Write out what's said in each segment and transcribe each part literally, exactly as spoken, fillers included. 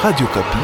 Radio Okapi.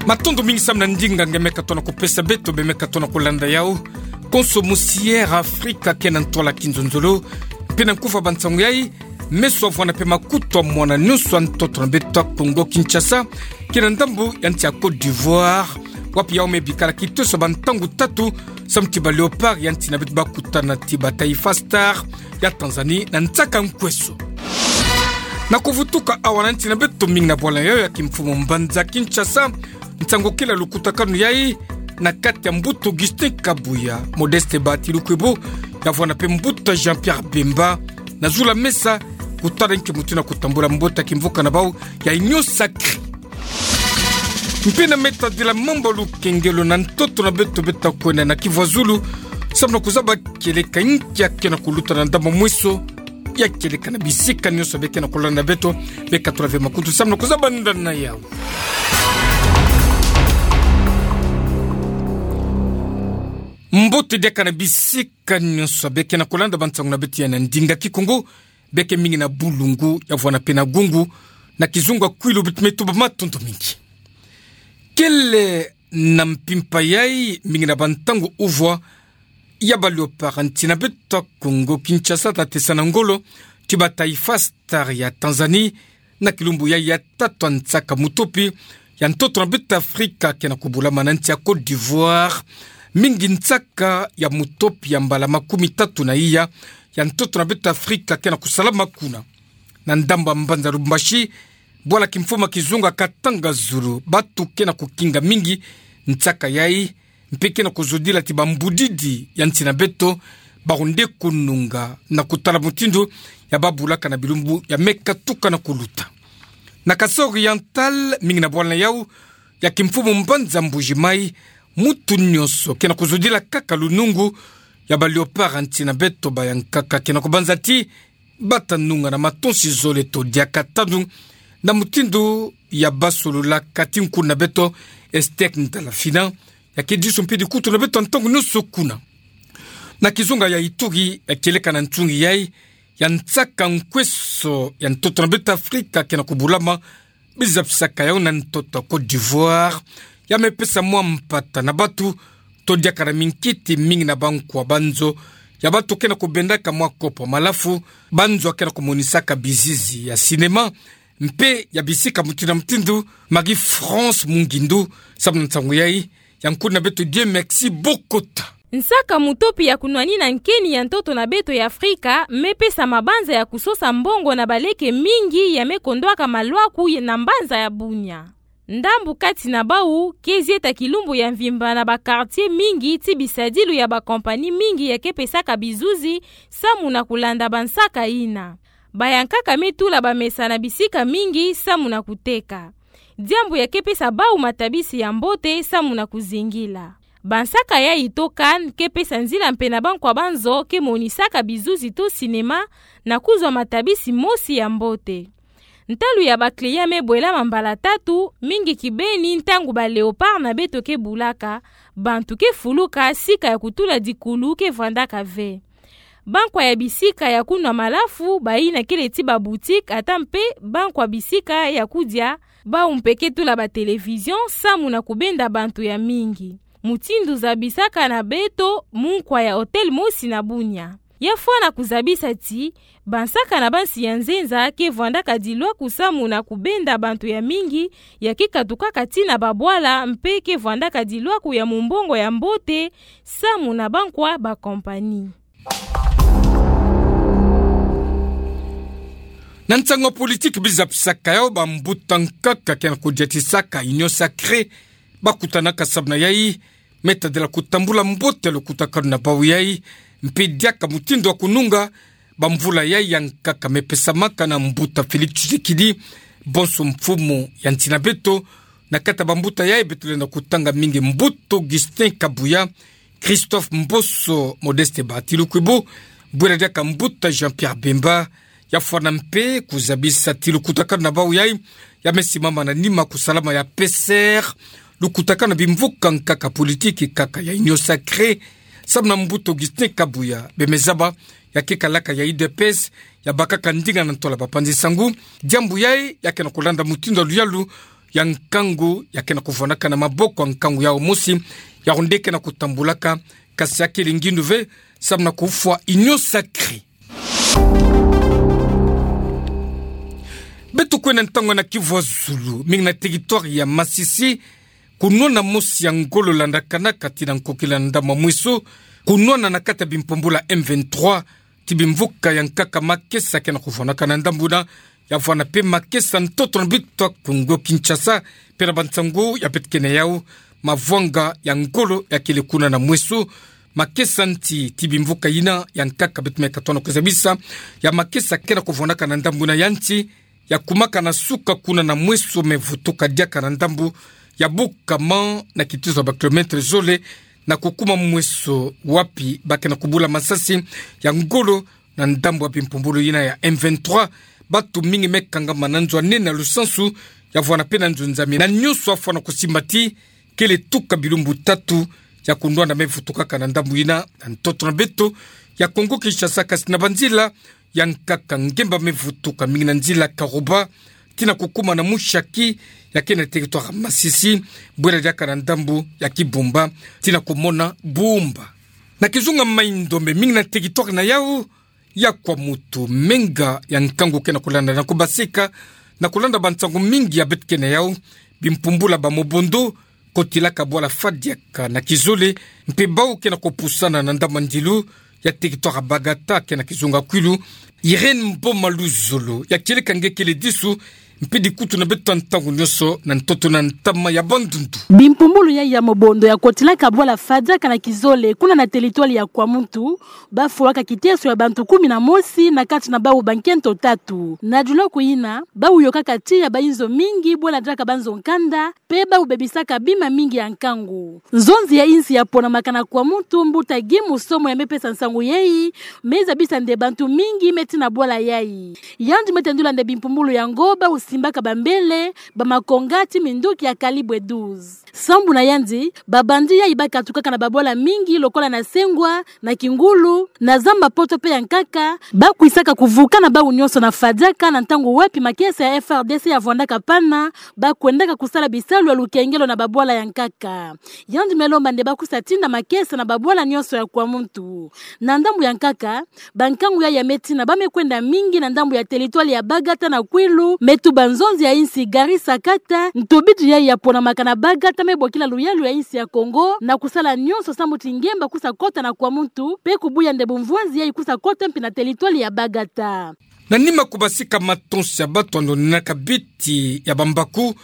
Matondo mingi samu na ndinga nge me katono kupesa beto, be me katono kulanda yau. Konso musi Air Afrika ke na ntwala kinzonzolo, mpe na nkufa ba nsangu yai, meso avwanda mpe makutu a mwana nyonso a ntoto na beto a Kongo Kinshasa, ke na ndambu ya nsi ya Côte d'Ivoire, wapi yau me bikala kitoso ba ntangu tatu, samu ti ba Léopards ya nsi na beto bakutana ti ba Taifa Stars ya Tanzanie na nsaka nkweso. Na kuvutuka awa na nsi na beto, mingi na bwala yau ya kimfumu mbanza Kinshasa, nsangu kele ya lukutakanu yai, na kati ya mbuta Augustin Kabuya, Modeste Batilukwibu, ya vwanda mpe mbuta Jean-Pierre Bemba, na zulu a mesa, kutala nki mutindu na kutambula mbote ya kimvuka na bau ya Union Sacrée. Mpe na metadila mambu ya lukengelo na ntoto na beto, beto kwenda na kivu ya zulu, samu na kuzaba kieleka nki ya ke na kuluta na ndambu mweso ya kieleka na bisika nyonso be ke na kulanda beto, be katula ve makutu samu na kuzaba nda na yau. Mbote diaka na bisika nyonso be ke na kulanda ba nsangu na beto ya na ndinga Kikongo, be ke mingi na bulungu, ya vwanda mpe na gungu, na kizunga kwilu beto me tuba matondo mingi. Kele na mpimpa yai, mingi na ba ntangu uvwa, ya ba Léopards nsi na beto a Kongo Kinshasa ta tesa na ngolo ti ba Taifa Stars ya Tanzanie, na kilumbu yai ya tatu a nsaka mutopi ya ntoto na beto Afrika ke na kubulama na nsi ya Côte d'Ivoire, mingi nsaka ya mutopi ya mbala makumi tatu na iya ya ntoto na beto Afrika ke na kusalama kuna. Na ndambu ya mbanza Lubumbashi, bwala kimfumu ya kizunga Katanga Zulu, batu ke na kukinga mingi nsaka yai, mpe ke na kuzodila ti ba mbudidi ya nsi na beto, bawu nde kununga na kutala mutindu ya babulaka na bilumbu ya me katuka na kuluta. Na Kasaï Oriental, mingi na bwala yau ya kimfumu mbanza Mbuji-Mayi, mutu nyonso ke na kuzodila kaka lunungu ya ba Léopards nsi na beto, bayankaka ke na kubanza ti bata nunga na matonsi zole to diaka tanu, na mutindu ya basololaka ti nkuna beto Esther Ndalafina, ya ke diso mpe dikutu na beto ntangu nyonso kuna. Na kizunga ya Ituri, ya kieleka na nsungi yai ya nsaka nkweso ya ntoto na beto Afrika ke na kubulama, bizabisaka yau na ntoto ya Côte d'Ivoire, ya me pesa mwa mpata na batu, to diaka na minkiti, mingi na bankwa banzo ya batu ke na kubendaka mwa kopo malafu, banzo ya ke na kumonisaka bizizi ya cinéma, mpe ya bisika mutindu na mutindu. Marie-France Mungindu, samu na nsangu yai, ya nkuna beto Dieu Merci Bokota. Nsaka mutopi ya kunwanina nkeni ya ntoto na beto ya Afrika me pesa mabanza ya kusosa mbongo na baleke mingi ya me kondwaka malwaku ye na mbanza ya Bunia. Ndambu kati na bawu ke zieta kilumbu ya mvimba na ba quartier mingi ti bisadilu ya ba compagnie mingi ya ke pesaka bizuzi samu na kulanda bansaka yina. Bayankaka me tula bamesa na bisika mingi samu na kuteka. Diambu ya ke pesa bawu matabisi ya mbote samu na kuzingila. Bansaka yai to CAN ke pesa nzila mpe na bankwa banzo ke monisaka bizuzi to cinéma na kuzwa matabisi mosi ya mbote. Ntalu ya ba clients me bwelama mbala tatu, mingi kibeni ntangu ba Léopards na beto ke bulaka, bantu ke fuluka, sika ya kutula dikulu ke vwandaka ve. Bankwa ya bisika ya kunwa malafu, bayina kele ti ba boutiques, ata mpe bankwa bisika ya kudia, bawu mpe ke tula ba télévisions samu na kubenda bantu ya mingi. Mutindu zabisaka na beto munkwa ya hôtel mosi na Bunia. Ya fwana kuzabisa ti, bansaka na bansi ya nzenza ke vwandaka dilwaku samu na kubenda bantu ya mingi, ya ke katukaka ti na babwala mpe ke vwandaka dilwaku ya mumbongo ya mbote samu na bankwa ba compagnie. Na nsangu ya politique, bizabisaka yau bambuta nkaka ke na kudiatisaka Union Sacrée, bakutanaka samu na yai, me tadila kutambula mbote ya lukutakanu na bawu yai, mpe diaka mutindu wa kununga, bamvula yai ya nkaka me pesamaka na mbuta Félix Tshisekedi, bonso mfumu ya nsi na beto. Na kati ya bambuta yai beto lenda kutanga mingi mbuta Augustin Kabuya, Christophe Mboso, Modeste Batilukwibu, bwela diaka mbuta Jean-Pierre Bemba, ya fwana mpe kuzabisa ti lukutakanu na bawu yai, ya me simama na nima kusalama ya P C R, lukutakana bimvuka nkaka politiki kaka ya Union Sacrée, samu na mbuta Augustin Kabuya, bemezaba ya kekalaka ya U D P S, ya bakaka ndinga na ntola bapanzi nsangu. Diambu yayi ya ke na kulanda mutindu ya luyalu ya nkangu ya ke na kuvwanaka na maboko ya nkangu yau mosi, ya nde ke na kutambulaka, kasi ya kele ngindu ve, samu na kufwa Union Sacrée. Beto kwenda ntangu na Kivu ya zulu, mingi na territoire ya Masisi, kunwana mosi ya ngolo landakanaka tii na nkokila na ndambu ya Mweso, kunwana na kati ya bimpumbulu ya M vingt-trois, tii bimvuka ya nkaka makesa ke na kuvwanaka na ndambu yina, ya vwana mpe makesa ntoto na beto ya Kongo Kinshasa, mpe na bansangu ya beto kena yau, mavwanga ya ngolo ya kele kuna na Mweso, makesa nti tii bimvuka yina ya nkaka beto me katona kuzabisa, ya makesa ke na kuvwanaka na ndambu yina ya nti, ya kumaka na suka kuna na Mweso me vutuka diaka na ndambu ya Bukama na kitizo ya ba kilomètre zole, na kukuma Mweso wapi ba ke na kubula masasi ya ngolo na ndambu ya bimpumbulu yina ya M vingt-trois, bantu mingi me kangama na nzo ya nene ya lusansu, ya vwana mpe na nzo nzambi. Na nyonso afwana kusimba tii kele tuka bilumbu tatu ya kunwana me vutukaka na ndambu yina, na ntoto na beto ya Kongo Kinshasa, kasi na banzila ya nkaka ngemba me vutuka, mingi na nzila Karuba, tii na kukuma na Mushaki, ya ke na territoire Masisi, bwela diaka na ndambu ya Kibumba, tii na kumona Bumba. Na kizunga Mai-Ndombe, mingi na territoire na yau ya Kwamutu, menga ya nkangu ke na kulanda na kubasika, na kulanda bansangu mingi ya beto kena yau, bimpumbulu ya ba Mobondo, kotilaka bwala Fadiaka na kizole, mpe bau ke na kupusana na ndambu ya ndilu ya territoire Bagata, ke na kizunga Kwilu. Irène Mboma Luzolo, ya kieleka nge kele disu mpe dikutu na beto ntangu nyonso na ntoto na ntama ya Bandundu. Bimpumbulu yayi ya Mobondo ya kotilaka bwala Fadiaka na kizole, kuna na territoire ya Kwamutu, ba fwaka kiteso ya bantu kumi na mosi na kati na bau bankento tatu. Na diloku yina, bau yokaka tiya ba inzo mingi, bwela diaka banzo nkanda, mpe bau bebisaka bima mingi ya nkangu. Nzonzi ya insi ya ponamaka na Kwamutu, mbuta Guy Musomo ya me pesa nsangu yayi, me zabisa nde bantu mingi me tii na bwala yayi. Yandi me tendula nde bimpumbulu yango bau simbaka bambele, ba makonga tii minduki ya calibre douze. Sambu na yandi, ba bandit yayi ba katukaka na babwala mingi lokola na Sengwa, na Kingulu, na Zamba-Poto mpe ya nkaka, ba kwisaka kuvuka na bau nyonso na Fadiaka na ntangu wapi makesa ya F R D C ya vwandaka pana, ba kwendaka kusala bisalu ya lukengelo na babwala ya nkaka. Yandi me lomba nde ba kwisa tinda makesa na babwala nyonso ya Kwamutu. Na ndambu ya nkaka, bankangu yayi ya me tina ba me kwenda mingi na ndambu ya territoire ya Bagata na Kwilu, me tuba nzonzi ya insi Gari Sakata, ntobidi yayi ya ponamaka na Bagata me bokila luyalu ya insi ya Kongo, na kusala nyonso sambu ti ngemba kwisa kota na Kwamutu, mpe kubuya nde bumvwanzi yayi kwisa kota mpi na territoire ya Bagata. Na nima kubasika matonsi ya bantu ya nonenaka biti ya bambaku,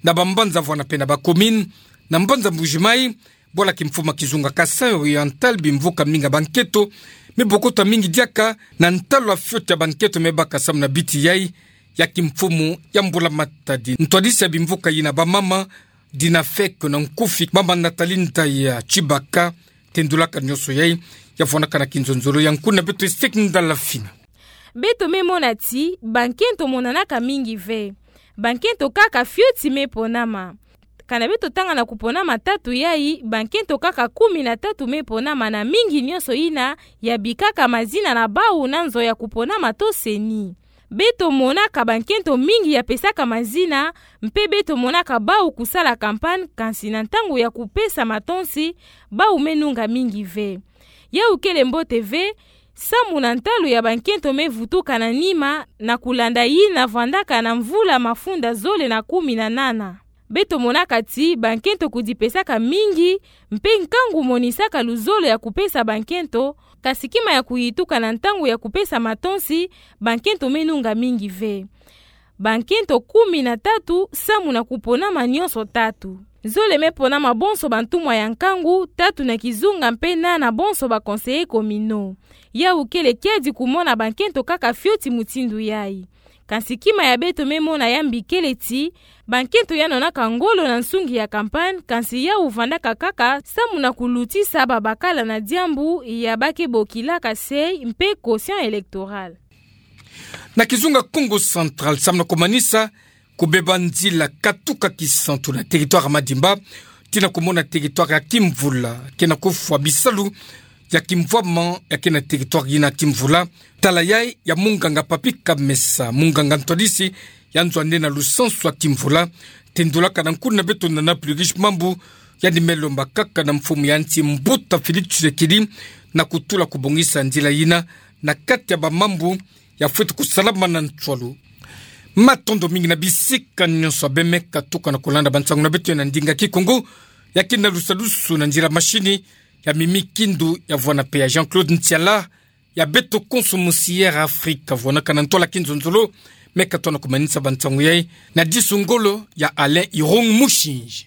na bambanza vwana mpe na ba commune, na mbanza Mbuji-Mayi, bwala kimfumu ya kizunga Kasaï Oriental, bimvuka mingi ya bankento me bokota mingi diaka, na ntalu ya fioti ya bankento me baka samu na biti yayi ya kimfumu ya mbula matadi. Ntwadisi ya bimvuka yina ba mama, Dina Fek na nkufi, mama Nathalie Ndaya Tshibaka, tendulaka nyonso yayi, ya vwanaka na kinzonzolo ya nkuna beto Estek Ndala Fina. Beto me mona ti bankento monanaka mingi ve. Bankento kaka fioti me ponama. Kana beto tanga na kuponama tatu yayi, bankento kaka kumi na tatu me ponama, na mingi nyonso yina ya bikaka mazina na bau na nzo ya kuponama to CENI. Beto monaka bankento mingi ya pesaka mazina, mpe beto monaka bau kusala campagne, kansi na ntangu ya kupesa matonsi, bau me nunga mingi ve. Yau kele mbote ve, samu na ntalu ya bankento me vutuka na nima, na kulanda yina vwandaka na mvula mafunda zole na kumi na nana. Beto monaka ti bankento kudipesaka mingi, mpe nkangu monisaka luzolo ya kupesa bankento, kasi kima ya kuyituka na ntangu ya kupesa matonsi, bankento me nunga mingi ve. Bankento kumi na tatu samu na kuponama nyonso tatu. Zole me ponama bonso bantumwa ya nkangu, tatu na kizunga mpe nana bonso ba conseillers communaux. Yau kele kiadi kumona bankento kaka fioti mutindu yayi. Kansi kima ya beto me mona ya mbi kele ti, bankento ya nonaka ngolo na nsungi ya campagne, kansi yau vandaka kaka samu na kulutisa babakala na diambu ya ba ke bokilaka seuil mpe quotient électoral. Na kizunga Kongo Central, samu na kumanisa kubeba nzila katuka Kisantu na territoire Madimba, tina kumona territoire ya Kimvula, kena kufwa bisalu ya Kimvwama, ya kena territoire yina Kimvula. Tala yai ya munganga Papi Kamesa, munganga ntwadisi ya nzo ane na lusansu ya Kimvula, tendulaka na nkuna beto na Plus Riche Mambu, yandi me lomba kaka na mfumu ya nsi Mbuta Félix Tshisekedi, na kutula kubongisa nzila yina na kati ya bamambu ya fweti kusalama na ntwalu. Matondo mingi na bisika nyonso beno me katuka na kulanda bansangu na beto na ndinga Kikongo, ya kina lusalusu na nzila mashini ya Mimi Kindu, ya vwana pe ya Jean-Claude Ntiala, ya beto konso musi Air Afrique, vwanaka na ntwala kinzonzolo, me katona kumanisa bansangu yai na disu ngolo ya Alain Irung Mushinji.